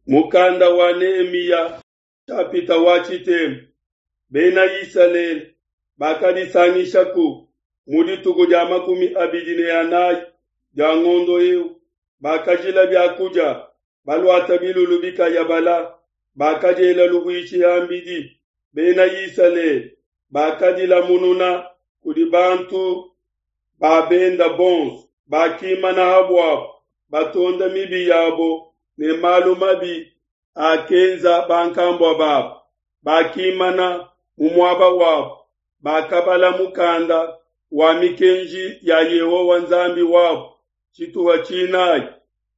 Mukanda wa Nehemiya nshapita wa tshitema. Bena Isalele bakadisangishaku mu dituku dia 24 dia ngondo eu, bakajila biakudia, baluata bilulu bikayabala, bakadiela luhuishi ham'bidi. Bena Isalele bakadilamununa kudi bantu ba benda bonso, bakimana ha buabo, batonda mibi yabo ne malu mabi akenza bankambua babo. Bakimana mu muaba wabo, bakabala mukanda wa mikenji ya Yehowa Nzambi wabo tshituha tshinai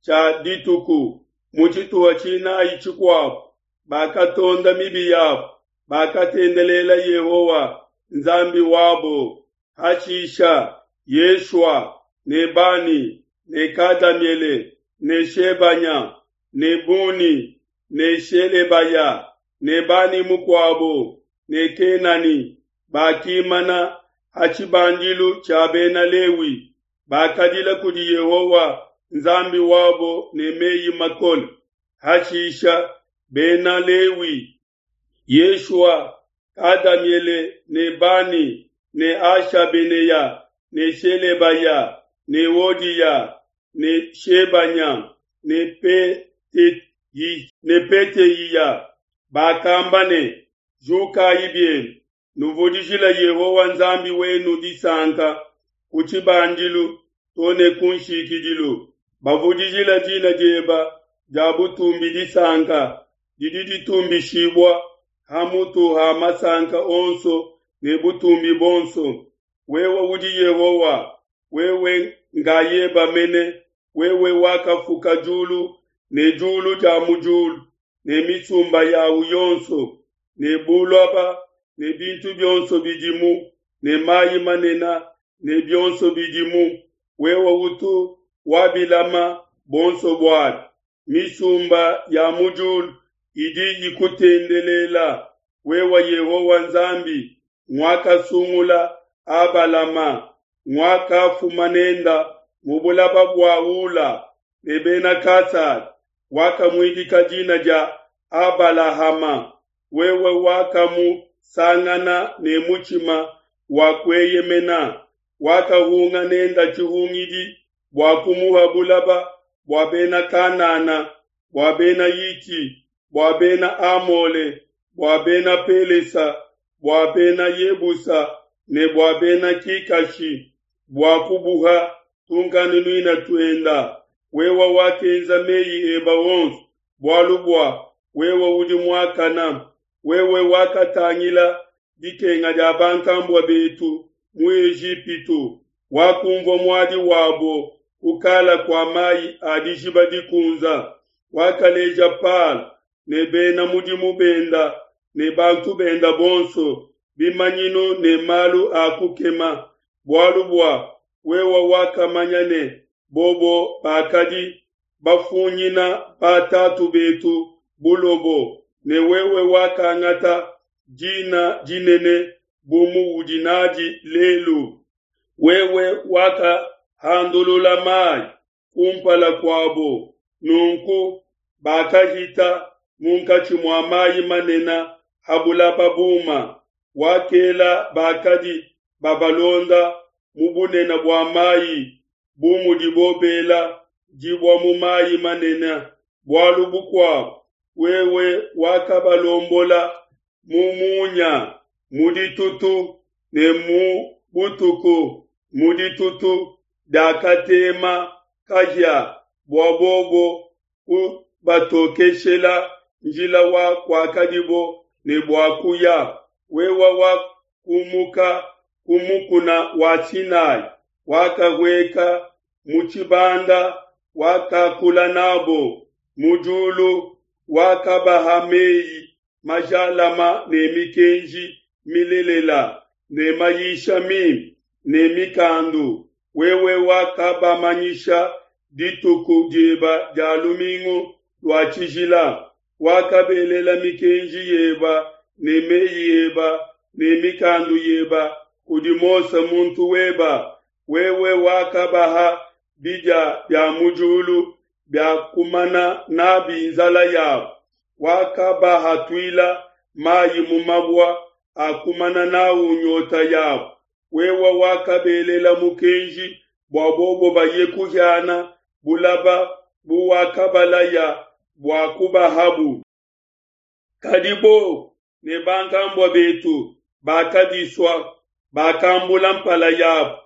tshia dituku. Mu tshituha tshinai tshikuabo bakatonda mibi yabo, bakatendelela Yehowa Nzambi wabo. Hashisha Yeshua ne Bani ne Kadamiele ne Shebanya ne Buni ne Shelebaya ne Bani mukuabo ne Kenani bakimana ha tshibandilu tshia Bena Lewi, bakadila kudi Yehowa Nzambi wabo ne mei makole. Hashisha Bena Lewi, Yeshua, Kadamiele ne Bani ne Hashabeneya ne Shelebaya ne Hodiya ne Shebanya ne Petehiya bakamba ne, Jukai bienu, nuvudijile Yehowa Nzambi wenu disanka ku tshibandilu to ne ku nshikidilu. Bavudijile dina dieba dia butumbi disanka didi ditumbishibua ha mutu ha masanka onso ne butumbi buonso. Wewe udi Yehowa, wewe ngayeba mene, wewe wakafuka diulu ne diulu dia mu diulu ne misumba yawu yonso, ne buloba ne bintu bionso bidimu, ne mayi manene ne bionso bidimu. Wewe utu wabilama buonso buabi. Misumba ya mu diulu idi ikutendelela, wewe Yehowa Nzambi, nguakasungula Abalama, nguakafuma nenda mu bulaba bua Ula ne Bena Kasada, wakamuidika dina dia Abalahama. Wewe wakamusangana ne mutshima wa kueyemena, wakahunga nenda tshihungidi bua kumuha bulaba bua Bena Kanana, bua Bena Hiti, bua Bena Amole, bua Bena Pelesa, bua Bena Yebusa ne bua Bena Kikashi, bua kubuha tunkanunuina tuenda. Wewe wakenza mei eba onso, bualu bua wewe udi muakana. Wewe wakatangila dikenga dia bankambua betu mu Ejipitu, wakumvua muadi wabo kukala kua mai a dijiba dikunza. Wakaleja Palo ne bena mudimu benda ne bantu benda bonso bimanyinu ne malu a kukema, bualu bua wewe wakamanya ne bobo bakadi bafunyina batatu betu bulobo, ne wewe wakangata dina dinene bu muudi nadi lelu. Wewe wakahandulula mai kumpala kuabo, nunku bakahita munkatshi mua mai manene ha bulaba buma. Wakela bakadi babalonda mu bunene bua mai bu mudibo bela dibua mu mai manene. Bualu bukuabo, wewe wakabalombola mu munya mu ditutu ne mu butuku mu ditutu diakatema kahia, bua bobo kubatokeshela njila wa kuakadibo ne bua kuya. Wewe wakumuka ku mukuna wa Sinai, wakahueka mu tshibanda, wakakula nabo mu diulu, wakabaha mei majalama ne mikenji milelela ne mayisha mimpe ne mikandu. Wewe wakabamanyisha dituku dieba dia lumingu lua tshijila, wakabelela mikenji yeba ne mei eba ne mikandu yeba kudi Mose muntu weba. Wewe wakabaha bidia bia mu diulu. bia kumana nabi nzala yabo. Wakabahatuila mayi mu mabua a kumana nawu nyota yabo. Wewe wakabelela mukenji bua bobo baye kuhiana bulaba buwakabalaya bua kubahabu. Kadi bobo ne bankambua betu bakadisua, bakambula mpala yabo,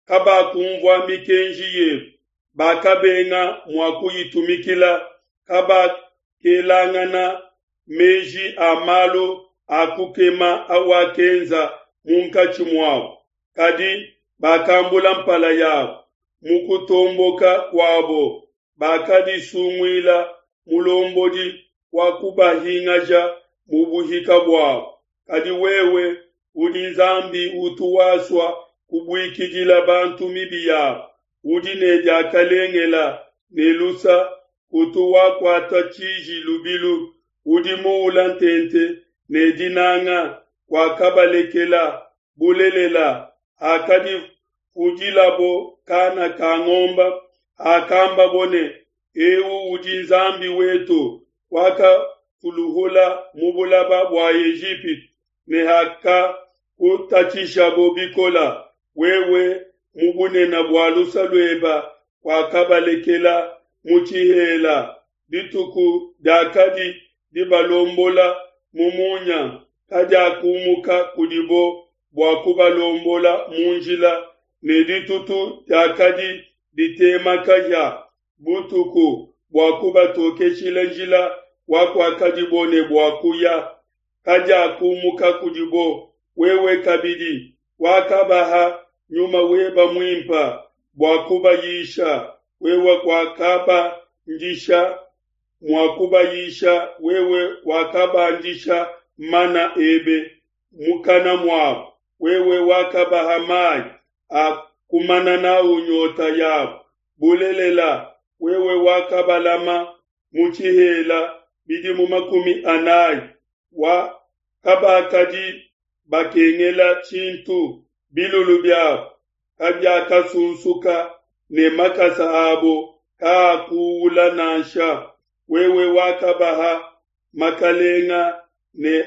kabakumvua mikenji yebe, bakabenga mua kuyitumikila, kabakelangana meji a malu a kukema awakenza munkatshi muabo. Kadi bakambula mpala yabo mu kutomboka kuabo, bakadisunguila mulombodi wa kubahingaja mu buhika buabo. Kadi wewe udi Nzambi utu wasua kubuikidila bantu mibi yabo, udi ne diakalengela ne lusa, kutu wakuata tshiji lubilu, udi muula ntente ne dinanga, kuakabalekela bulelela. Hakadifudilabo kana ka ngomba, hakambabo ne, Eu udi Nzambi wetu wakatuluhula mu bulaba bua Ejipitu, ne hakakutatshishabo bikola, wewe mu bunene bua lusa lueba kuakabalekela mu tshihela. Dituku diakadi dibalombola mu munya kadiakumuka kudibo bua kubalombola mu njila, ne ditutu diakadi ditema kahia butuku bua kubatokeshila njila wa kuakadibo ne bua kuya, kadiakumuka kudibo. Wewe kabidi wakabaha nyuma weba muimpa bua kubayisha, wewe kuakabandisha mua kubayisha, wewe wakabandisha mana ebe mukana muabo, wewe wakabaha mayi a kumana nawu nyota yabo. Bulelela, wewe wakabalama mu tshihela bidimu 40, wa kabakadi bakengela tshintu, bilulu biabo kabiakasunsuka ne makasa abo kaakuula nansha. Wewe wakabaha makalenga ne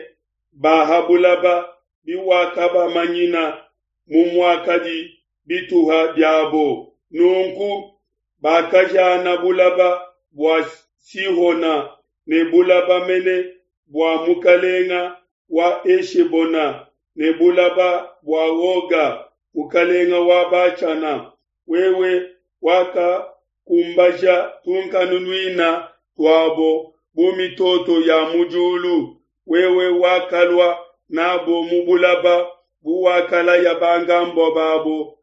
bahabulaba biwakabamanyina mu muakadi bituha biabo. Nunku bakajana bulaba bua Sihona ne bulaba mene bua mukalenga wa Eshebona ne bulaba bua Oga mukalenga wa Bashana. Wewe wakakumbaja tunkanunuina tuabo bu mitoto ya mu diulu. Wewe wakalua nabo mu bulaba buwakalaya bangambo babo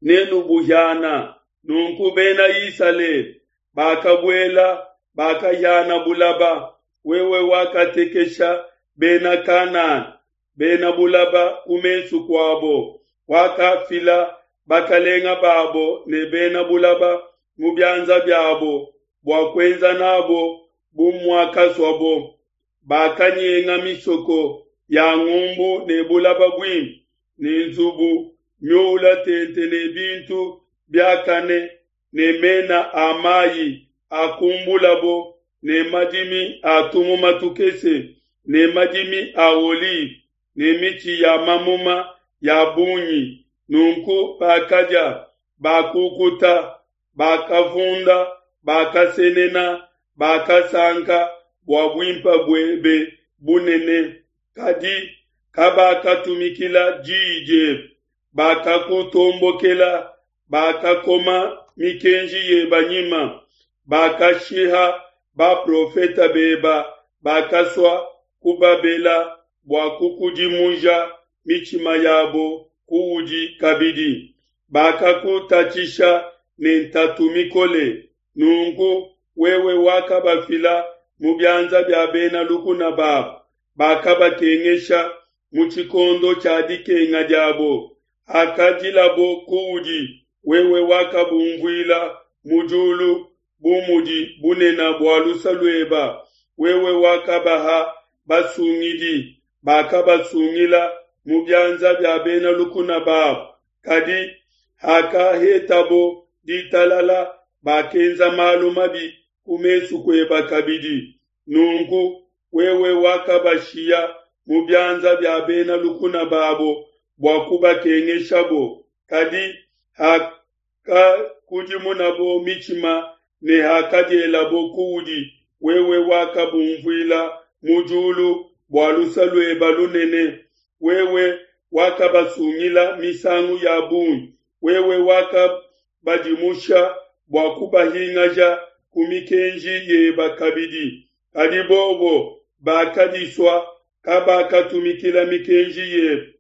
nenubuhiana. Nunku bena Isalele bakabuela bakahiana bulaba. Wewe wakatekesha bena Kanana bena bulaba ku mesu kuabo, wakafila bakalenga babo ne bena bulaba mu bianza biabo bua kuenza nabo bu muakasuabo. Bakanyenga misoko ya ngumbu ne bulaba buimpe ne nzubu miula tente ne bintu biakane ne mena a mayi akumbulabo ne madimi a tumuma tukese ne madimi a olive ne mitshi ya mamuma ya bungi. Nunku bakadia, bakukuta, bakavunda, bakasenena, bakasanka bua buimpe buebe bunene. Kadi kabakatumikila diyi diebe, bakakutombokela, bakakoma mikenji yeba nyima, bakashiha baprofeta beba, bakasua kubabela bua kukudimuja mitshima yabo kuudi kabidi. Bakakutatshisha ne ntatu mikole, nunku wewe wakabafila mu bianza bia bena lukuna babo, bakabakengesha mu tshikondo tshia dikenga diabo. Hakadilabo kuudi, wewe wakabumvuila mu diulu bu mudi bunene bua lusa lueba. Wewe wakabaha basungidi, bakabasungila mu bianza bia bena lukuna babo. Kadi hakahetabo ditalala, bakenza malu mabi ku mesu kueba kabidi. Nunku wewe wakabashiya mu bianza bia bena lukuna babo bua kubakengeshabo. Kadi hakakudimunabo mitshima ne hakadielabo kuudi, wewe wakabunvuila mu diulu bua luse luebe lunene. Wewe wakabasungila misangu ya bungi, wewe wakabadimusha bua kubahingaja ku mikenji yeba kabidi. Kadi bobo bakadisua, kabakatumikila mikenji yebe.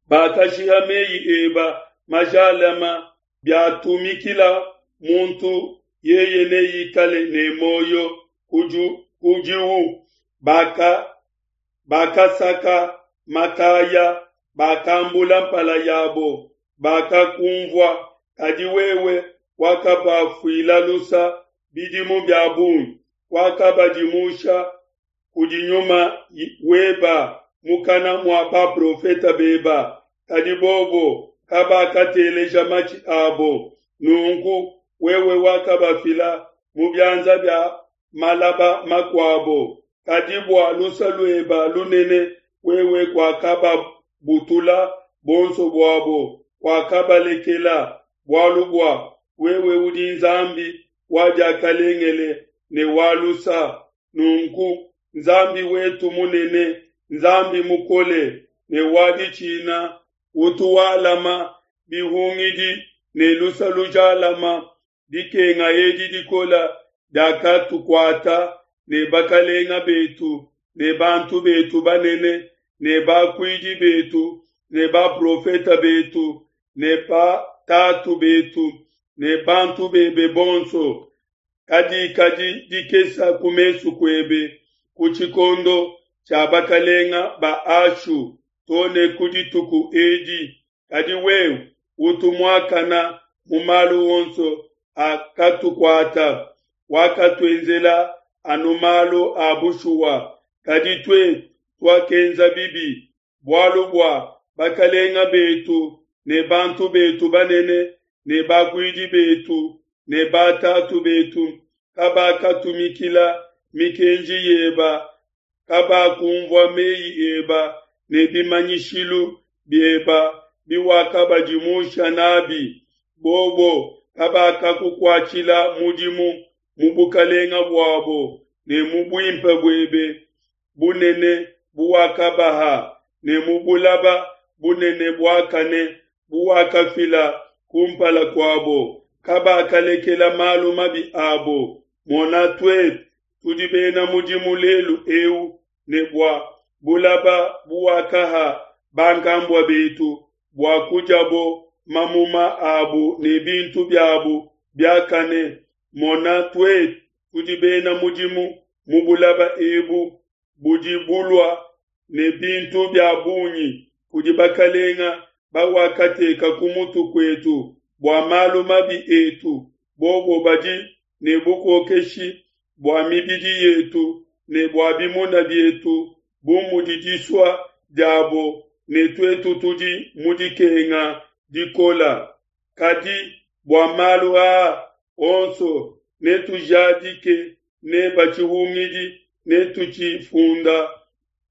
Bakashiha meyi eba majalama, biatumikila muntu yeye neikale ne muoyo kudiu. Bakasaka makaya, bakambula mpala yabo, bakakunvua. Kadi wewe wakabafuila lusa bidimu bia bungi, wakabadimusha kudi nyuma weba mukana mua baprofete beba, kadi bobo kabakateleja matshi abo. Nunku wewe wakabafila mu bianza bia malaba makuabo, kadi bua luse lueba lunene wewe kuakababutula bonso buabo, kuakabalekela, bualu bua wewe udi Nzambi wa diakalengele ne wa lusa. Nunku Nzambi wetu munene, Nzambi mukole ne wa ditshina, utu walama bihungidi ne lusa lujalama, dikenga edi dikola diakatukuata ne bakalenga betu ne bantu betu banene ne bakuidi betu ne baprofeta betu ne batatu betu ne bantu bebe bonso, kadikadi dikesa ku mesu kuebe ku tshikondo tshia bakalenga ba Ashu to ne ku dituku edi. Kadi wewe utu muakana mu malu onso akatukuata, wakatuenzela anu malu a bushuwa. Kadi tuetu tuakenza bibi, bualu bua bakalenga betu ne bantu betu banene ne bakuidi betu ne batatu betu kabakatumikila mikenji yeba, kabakumvua meyi eba ne bimanyishilu bieba biwakabadimusha nabi. Bobo kabakakukuatshila mudimu mu bukalenga buabo ne mu buimpe buebe bunene buwakabaha ne mu bulaba bunene buakane buwakafila kumpala kuabo. Kabakalekela malu mabi abo. Mona, tuetu tudi bena mudimu lelu eu ne bua bulaba buwakaha bankambua betu bua kudiabo mamuma abu ne bintu biabu biakane. Mona, tuetu tudi bena mudimu mu bulaba ebu budi bulua ne bintu bia bungi kudi bakalenga bawakateka ku mutu kuetu bua malu mabi etu. Bobo badi ne bukokeshi bua mibidi yetu ne bua bimuna bietu bu mudi disua diabo, ne tuetu tudi mu dikenga dikola. Kadi bua malu aa onso netujadike neba tshihungidi, netutshifunda.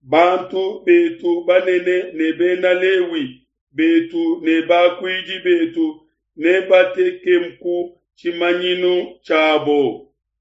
Bantu betu banene ne bena Lewi betu ne bakuidi betu nebatekemku tshimanyinu tshiabo.